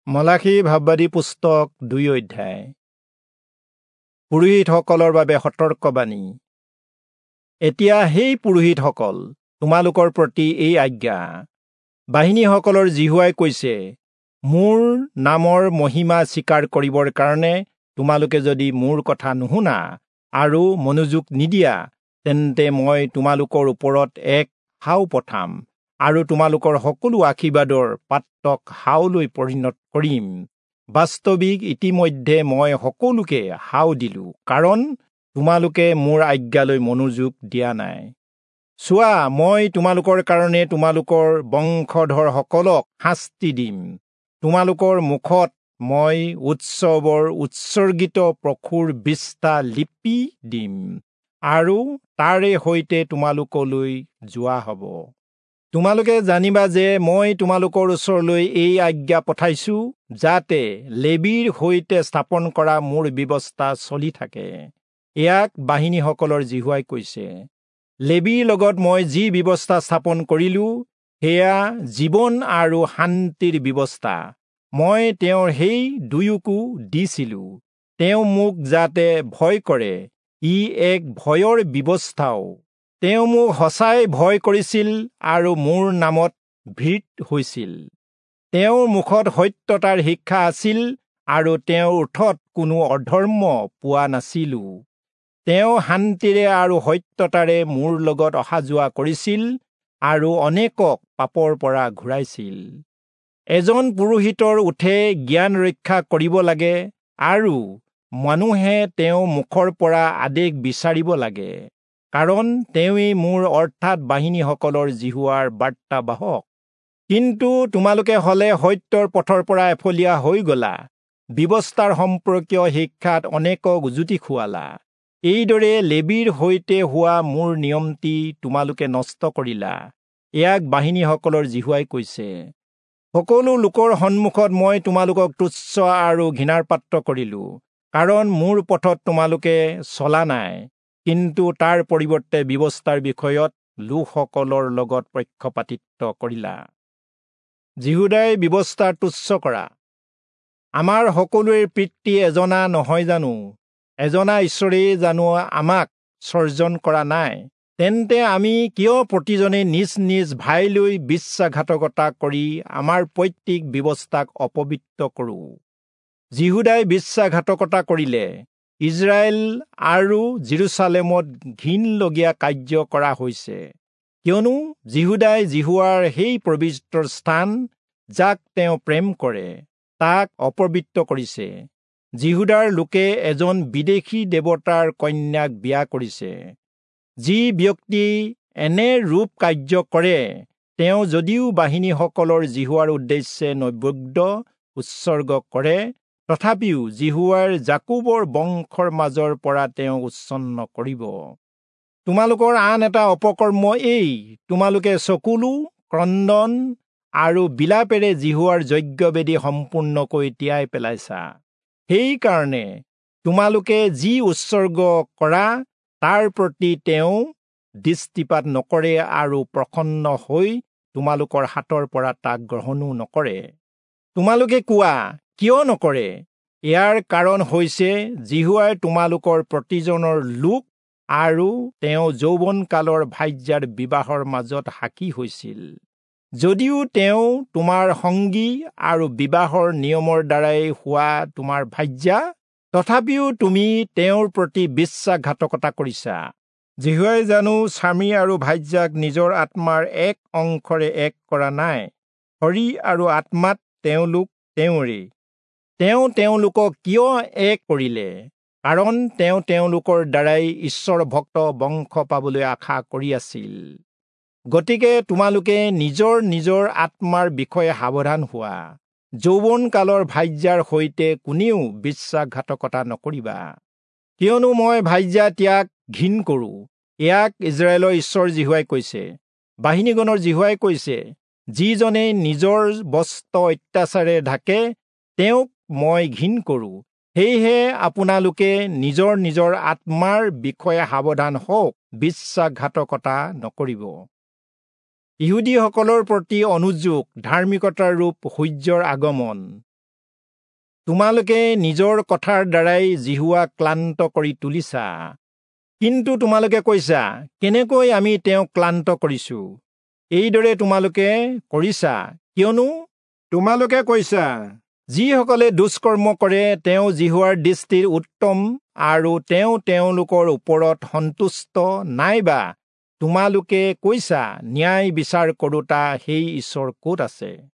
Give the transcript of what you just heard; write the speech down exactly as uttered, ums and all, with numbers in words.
মলাখী ভাববাদী পুস্তক দুই অধ্যায়। পুৰোহিতসকলৰ বাবে সতৰ্কবাণী। এতিয়া সেই পুৰোহিতসকল, তোমালোকৰ প্ৰতি এই আজ্ঞা। বাহিনীসকলৰ যিহোৱাই কৈছে, মোৰ নামৰ মহিমা স্বীকাৰ কৰিবৰ কাৰণে তোমালোকে যদি মোৰ কথা নুশুনা আৰু মনোযোগ নিদিয়া, তেন্তে মই তোমালোকৰ ওপৰত এক হাও পঠাম আৰু তোমালোকৰ সকলো আশীৰ্বাদৰ পাত্ৰক হাওলৈ পৰিণত কৰিম। বাস্তৱিক ইতিমধ্যে মই সকলোকে হাও দিলো, কাৰণ তোমালোকে মোৰ আজ্ঞালৈ মনোযোগ দিয়া নাই। চোৱা, মই তোমালোকৰ কাৰণে তোমালোকৰ বংশধৰসকলক শাস্তি দিম। তোমালোকৰ মুখত মই উৎসৱৰ উৎসৰ্গিত পশুৰ বিষ্ঠা লিপি দিম আৰু তাৰে সৈতে তোমালোকলৈ যোৱা হ'ব। তোমালোকে জানিবা যে মই তোমালোকৰ ওচৰলৈ এই আজ্ঞা পঠাইছো, যাতে লেবীৰ সৈতে স্থাপন কৰা মোৰ ব্যৱস্থা চলি থাকে। ইয়াক বাহিনীসকলৰ যিহোৱাই কৈছে। লেবীৰ লগত মই যি ব্যৱস্থা স্থাপন কৰিলো, সেয়া জীৱন আৰু শান্তিৰ ব্যৱস্থা। মই তেওঁৰ সেই দুয়োকো দিছিলো, তেওঁ মোক যাতে ভয় কৰে, ই এক ভয়ৰ ব্যৱস্থাও। তেওঁ মোক সঁচাই ভয় কৰিছিল আৰু মোৰ নামত ভীত হৈছিল। তেওঁৰ মুখত সত্যতাৰ শিক্ষা আছিল আৰু তেওঁৰ ওঠত কোনো অধৰ্ম পোৱা নাছিলো। তেওঁ শান্তিৰে আৰু সত্যতাৰে মোৰ লগত অহা যোৱা কৰিছিল আৰু অনেকক পাপৰ পৰা ঘূৰাইছিল। এজন পুৰোহিতৰ ওঠে জ্ঞান ৰক্ষা কৰিব লাগে আৰু মানুহে তেওঁৰ মুখৰ পৰা আদেশ বিচাৰিব লাগে, কাৰণ তেওঁৱেই মোৰ অৰ্থাৎ বাহিনীসকলৰ যিহোৱাৰ বাৰ্তাবাহক। কিন্তু তোমালোকে হলে সত্যৰ পথৰ পৰা এফলীয়া হৈ গলা, ব্যৱস্থাৰ সম্পৰ্কীয় শিক্ষাত অনেকক উজুতি খুৱালা। এইদৰে লেবীৰ সৈতে হোৱা মোৰ নিয়মটি তোমালোকে নষ্ট কৰিলা। ইয়াক বাহিনীসকলৰ যিহোৱাই কৈছে। সকলো লোকৰ সন্মুখত মই তোমালোকক তুচ্ছ আৰু ঘৃণাৰ পাত্ৰ কৰিলো, কাৰণ মোৰ পথত তোমালোকে চলা নাই, কিন্তু তাৰ পৰিৱৰ্তে ব্যৱস্থাৰ বিষয়ত লোকসকলৰ লগত পক্ষপাতিত্ব কৰিলা। যিহূদাই ব্যৱস্থা তুচ্ছ কৰা। আমাৰ সকলোৰে পিতৃ এজনা নহয় জানো? এজনা ঈশ্বৰেই জানো আমাক সৰ্জন কৰা নাই? তেন্তে আমি কিয় প্ৰতিজনে নিজ নিজ ভাইলৈ বিশ্বাসঘাতকতা কৰি আমাৰ পৈতৃক ব্যৱস্থাক অপবিত্ৰ কৰোঁ? যিহূদাই বিশ্বাসঘাতকতা কৰিলে, ইজৰাইল আৰু যিৰূচালেমত ঘিণলগীয়া কাৰ্য কৰা হৈছে। কিয়নো যিহূদাই যিহোৱাৰ সেই পবিত্ৰ স্থান, যাক তেওঁ প্ৰেম কৰে, তাক অপবিত্ৰ কৰিছে। যিহূদাৰ লোকে এজন বিদেশী দেৱতাৰ কন্যাক বিয়া কৰিছে। যি ব্যক্তি এনে ৰূপ কাৰ্য কৰে, তেওঁ যদিও বাহিনীসকলৰ যিহোৱাৰ উদ্দেশ্যে নৈবেদ্য উৎসৰ্গ কৰে, তথাপিও যিহোৱাৰ যাকোবৰ বংশৰ মাজৰ পৰা তেওঁ উচ্ছন্ন কৰিব। তোমালোকৰ আন এটা অপকৰ্ম এই, তোমালোকে চকুলো, ক্ৰন্দন আৰু বিলাপেৰে যিহোৱাৰ যজ্ঞবেদী সম্পূৰ্ণকৈ তিয়াই পেলাইছা। সেইকাৰণে তোমালোকে যি উৎসৰ্গ কৰা, তাৰ প্ৰতি তেওঁ দৃষ্টিপাত নকৰে আৰু প্ৰসন্ন হৈ তোমালোকৰ হাতৰ পৰা তাক গ্ৰহণো নকৰে। তোমালোকে কোৱা, কিয় নকৰে? ইয়াৰ কাৰণ হৈছে যিহোৱাই তোমালোকৰ প্ৰতিজনৰ লোক আৰু তেওঁ যৌৱনকালৰ ভাৰ্যাৰ বিবাহৰ মাজত সাক্ষী হৈছিল। যদিও তেওঁ তোমাৰ সংগী আৰু বিবাহৰ নিয়মৰ দ্বাৰাই হোৱা তোমাৰ ভাৰ্যা, তথাপিও তুমি তেওঁৰ প্ৰতি বিশ্বাসঘাতকতা কৰিছা। যিহোৱাই জানো স্বামী আৰু ভাৰ্যাক নিজৰ আত্মাৰ এক অংশৰে এক কৰা নাই? শৰীৰ আৰু আত্মাত তেওঁলোক তেওঁৰেই। তেওঁ তেওঁলোকক কিয় এক কৰিলে? কাৰণ তেওঁ তেওঁলোকৰ দ্বাৰাই ঈশ্বৰ ভক্ত বংশ পাবলৈ আশা কৰি আছিল। গতিকে তোমালোকে নিজৰ নিজৰ আত্মাৰ বিষয়ে সাৱধান হোৱা। যৌৱনকালৰ ভাৰ্যাৰ সৈতে কোনেও বিশ্বাসঘাতকতা নকৰিবা, কিয়নো মই ভাৰ্যা ত্যাগ ঘিণ কৰোঁ। ইয়াক ইজৰাইলৰ ঈশ্বৰ যিহোৱাই কৈছে। বাহিনীগণৰ যিহোৱাই কৈছে, যিজনে নিজৰ বস্ত্ৰ অত্যাচাৰে ঢাকে, তেওঁক মই ঘিণ কৰোঁ। সেয়েহে আপোনালোকে নিজৰ নিজৰ আত্মাৰ বিষয়ে সাৱধান হওক, বিশ্বাসঘাতকতা নকৰিব। ইহুদীসকলৰ প্ৰতি অনুযোগ, ধাৰ্মিকতাৰ ৰূপ সূৰ্যৰ আগমন। তোমালোকে নিজৰ কথাৰ দ্বাৰাই যিহোৱাক ক্লান্ত কৰি তুলিছা। কিন্তু তোমালোকে কৈছা, কেনেকৈ আমি তেওঁক ক্লান্ত কৰিছো? এইদৰে তোমালোকে কৰিছা, কিয়নো তোমালোকে কৈছা, যিসকলে দুষ্কৰ্ম কৰে তেওঁ যিহোৱাৰ দৃষ্টিত উত্তম আৰু তেওঁ তেওঁলোকৰ ওপৰত সন্তুষ্ট, নাইবা তোমালোকে কৈছা, ন্যায় বিচাৰ কৰোঁতা সেই ঈশ্বৰ ক'ত আছে?